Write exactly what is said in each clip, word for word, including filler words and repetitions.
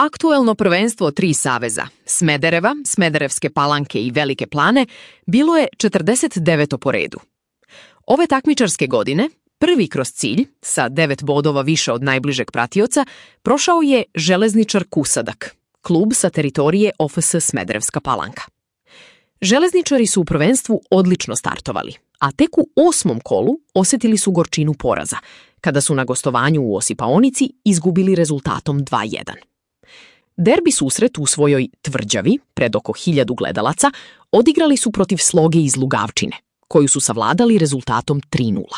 Aktuelno prvenstvo tri saveza, Smedereva, Smederevske Palanke i Velike Plane, bilo je četrdeset deveto po redu. Ove takmičarske godine, prvi kroz cilj, sa devet bodova više od najbližeg pratioca, prošao je Železničar Kusadak, klub sa teritorije O F S Smederevska Palanka. Železničari su u prvenstvu odlično startovali, a tek u osmom kolu osjetili su gorčinu poraza, kada su na gostovanju u Osipaonici izgubili rezultatom dva jedan. Derbi susret u svojoj Tvrđavi, pred oko hiljadu gledalaca, odigrali su protiv Sloge iz Lugavčine, koju su savladali rezultatom tri nula.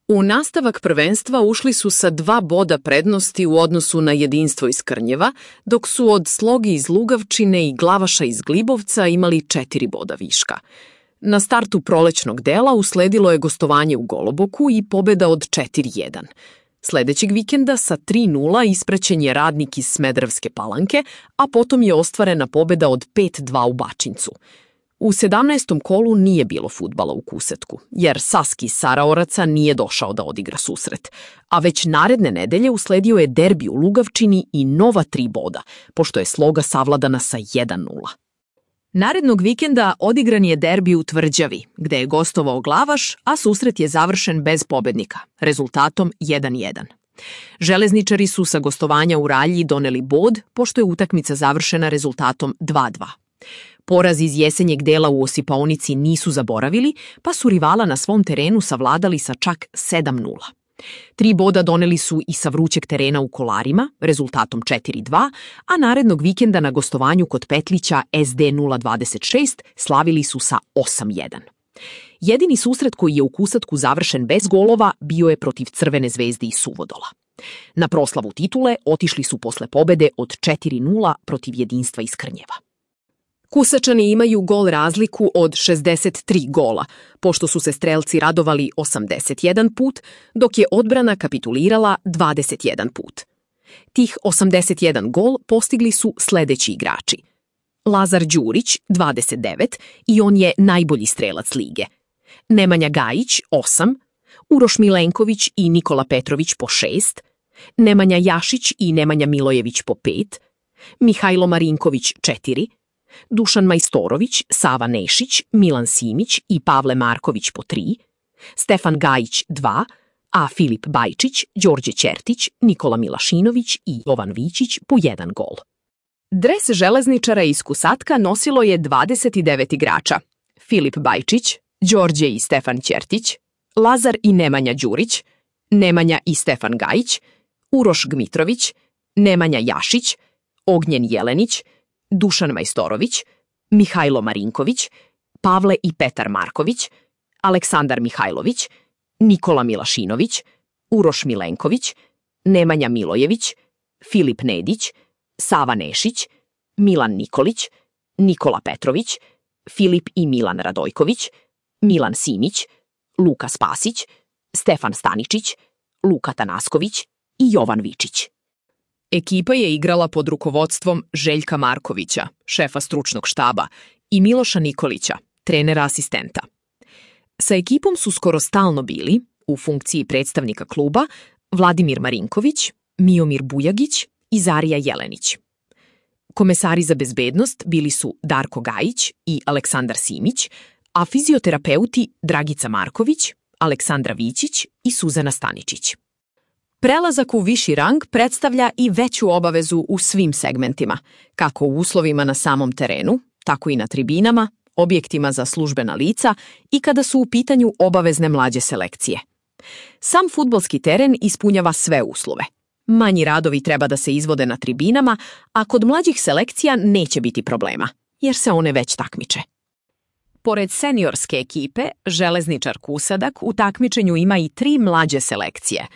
U nastavak prvenstva ušli su sa dva boda prednosti u odnosu na Jedinstvo iz Krnjeva, dok su od Sloge iz Lugavčine i Glavaša iz Glibovca imali četiri boda viška. Na startu prolećnog dela usledilo je gostovanje u Goloboku i pobjeda od četiri jedan. Sljedećeg vikenda sa tri nula ispraćen je Radnik iz Smederevske Palanke, a potom je ostvarena pobjeda od pet dva u Bačincu. U sedamnaestom kolu nije bilo fudbala u Kusetku, jer Saski iz Saraoraca nije došao da odigra susret, a već naredne nedelje usledio je derbi u Lugavčini i nova tri boda, pošto je Sloga savladana sa jedan nula. Narednog vikenda odigran je derbi u Tvrđavi, gde je gostovao Glavaš, a susret je završen bez pobednika, rezultatom jedan jedan. Železničari su sa gostovanja u Ralji doneli bod, pošto je utakmica završena rezultatom dva dva. Poraz iz jesenjeg dela u Osipaonici nisu zaboravili, pa su rivala na svom terenu savladali sa čak sedam nula. Tri boda doneli su i sa vrućeg terena u Kolarima, rezultatom četiri dva, a narednog vikenda na gostovanju kod Petlića S D nula dvadeset šest slavili su sa osam jedan. Jedini susret koji je u Kusatku završen bez golova bio je protiv Crvene zvezde iz Suvodola. Na proslavu titule otišli su posle pobede od četiri nula protiv Jedinstva iz Krnjeva. Kusačani imaju gol razliku od šezdeset tri gola, pošto su se strelci radovali osamdeset jedan put, dok je odbrana kapitulirala dvadeset jedan put. Tih osamdeset jedan gol postigli su sledeći igrači. Lazar Đurić, dvadeset devet, i on je najbolji strelac lige. Nemanja Gajić, osam, Uroš Milenković i Nikola Petrović po šest, Nemanja Jašić i Nemanja Milojević po pet, Mihajlo Marinković četiri, Dušan Majstorović, Sava Nešić, Milan Simić i Pavle Marković po tri, Stefan Gajić dva, a Filip Bajčić, Đorđe Ćertić, Nikola Milašinović i Jovan Vićić po jedan gol. Dres železničara iz Kusatka nosilo je dvadeset devet igrača: Filip Bajčić, Đorđe i Stefan Ćertić, Lazar i Nemanja Đurić, Nemanja i Stefan Gajić, Uroš Gmitrović, Nemanja Jašić, Ognjen Jelenić, Dušan Majstorović, Mihajlo Marinković, Pavle i Petar Marković, Aleksandar Mihajlović, Nikola Milašinović, Uroš Milenković, Nemanja Milojević, Filip Nedić, Sava Nešić, Milan Nikolić, Nikola Petrović, Filip i Milan Radojković, Milan Simić, Luka Spasić, Stefan Staničić, Luka Tanasković i Jovan Vičić. Ekipa je igrala pod rukovodstvom Željka Markovića, šefa stručnog štaba, i Miloša Nikolića, trenera asistenta. Sa ekipom su skoro stalno bili, u funkciji predstavnika kluba, Vladimir Marinković, Miomir Bujagić i Zarija Jelenić. Komesari za bezbednost bili su Darko Gajić i Aleksandar Simić, a fizioterapeuti Dragica Marković, Aleksandra Vićić i Suzana Staničić. Prelazak u viši rang predstavlja i veću obavezu u svim segmentima, kako u uslovima na samom terenu, tako i na tribinama, objektima za službena lica i kada su u pitanju obavezne mlađe selekcije. Sam fudbalski teren ispunjava sve uslove. Manji radovi treba da se izvode na tribinama, a kod mlađih selekcija neće biti problema, jer se one već takmiče. Pored seniorske ekipe, Železničar Kusadak u takmičenju ima i tri mlađe selekcije.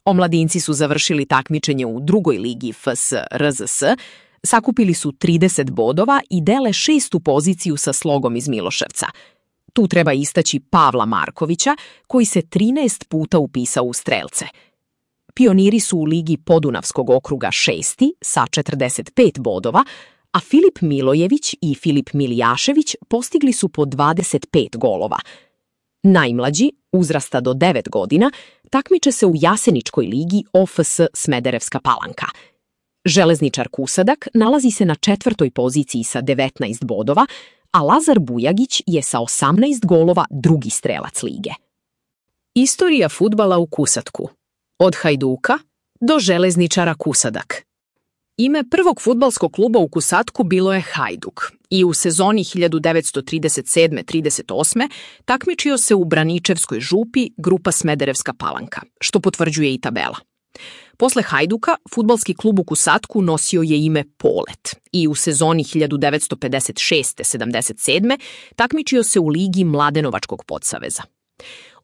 Omladinci su završili takmičenje u drugoj ligi F S R Z S, sakupili su trideset bodova i dele šestu poziciju sa Slogom iz Miloševca. Tu treba istaći Pavla Markovića, koji se trinaest puta upisao u strelce. Pioniri su u ligi Podunavskog okruga šesti sa četrdeset pet bodova, a Filip Milojević i Filip Milijašević postigli su po dvadeset pet golova. Najmlađi, uzrasta do devet godina, takmiče se u Jaseničkoj ligi O F S Smederevska Palanka. Železničar Kusadak nalazi se na četvrtoj poziciji sa devetnaest bodova, a Lazar Bujagić je sa osamnaest golova drugi strelac lige. Istorija fudbala u Kusadku. Od Hajduka do Železničara Kusadak. Ime prvog fudbalskog kluba u Kusadku bilo je Hajduk i u sezoni hiljadu devetsto trideset sedme trideset osme takmičio se u Braničevskoj župi grupa Smederevska Palanka, što potvrđuje i tabela. Posle Hajduka, fudbalski klub u Kusadku nosio je ime Polet i u sezoni hiljadu devetsto pedeset šeste sedamdeset sedme takmičio se u ligi Mladenovačkog podsaveza.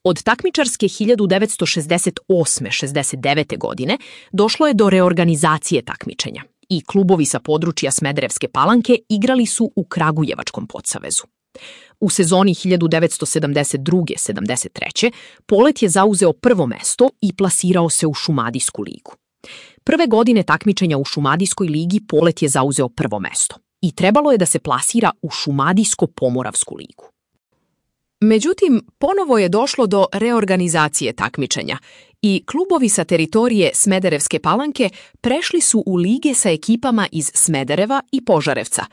Od takmičarske hiljadu devetsto šezdeset osme šezdeset devete godine došlo je do reorganizacije takmičenja i klubovi sa područja Smederevske Palanke igrali su u Kragujevačkom podsavezu. U sezoni hiljadu devetsto sedamdeset druge sedamdeset treće Polet je zauzeo prvo mesto i plasirao se u Šumadijsku ligu. Prve godine takmičenja u Šumadijskoj ligi Polet je zauzeo prvo mesto i trebalo je da se plasira u Šumadijsko-Pomoravsku ligu. Međutim, ponovo je došlo do reorganizacije takmičenja i klubovi sa teritorije Smederevske Palanke prešli su u lige sa ekipama iz Smedereva i Požarevca,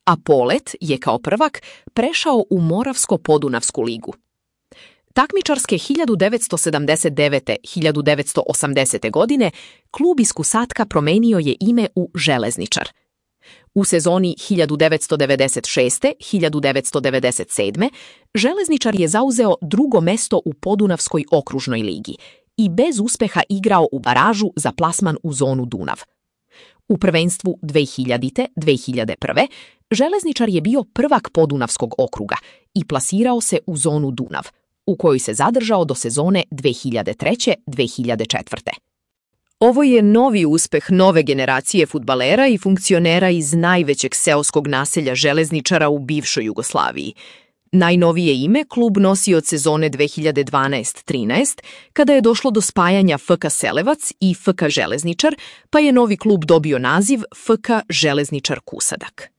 a Polet je kao prvak prešao u Moravsko-Podunavsku ligu. Takmičarske hiljadu devetsto sedamdeset devete hiljadu devetsto osamdesete godine klub iz Kusatka promenio je ime u Železničar. U sezoni hiljadu devetsto devedeset šeste hiljadu devetsto devedeset sedme Železničar je zauzeo drugo mesto u Podunavskoj okružnoj ligi i bez uspeha igrao u baražu za plasman u zonu Dunav. U prvenstvu dve hiljadite dve hiljade prve Železničar je bio prvak Podunavskog okruga i plasirao se u zonu Dunav, u kojoj se zadržao do sezone dve hiljade treće dve hiljade četvrte. Ovo je novi uspeh nove generacije fudbalera i funkcionera iz najvećeg seoskog naselja Železničara u bivšoj Jugoslaviji. Najnovije ime klub nosi od sezone dve hiljade dvanaeste trinaeste, kada je došlo do spajanja F K Selevac i F K Železničar, pa je novi klub dobio naziv F K Železničar Kusadak.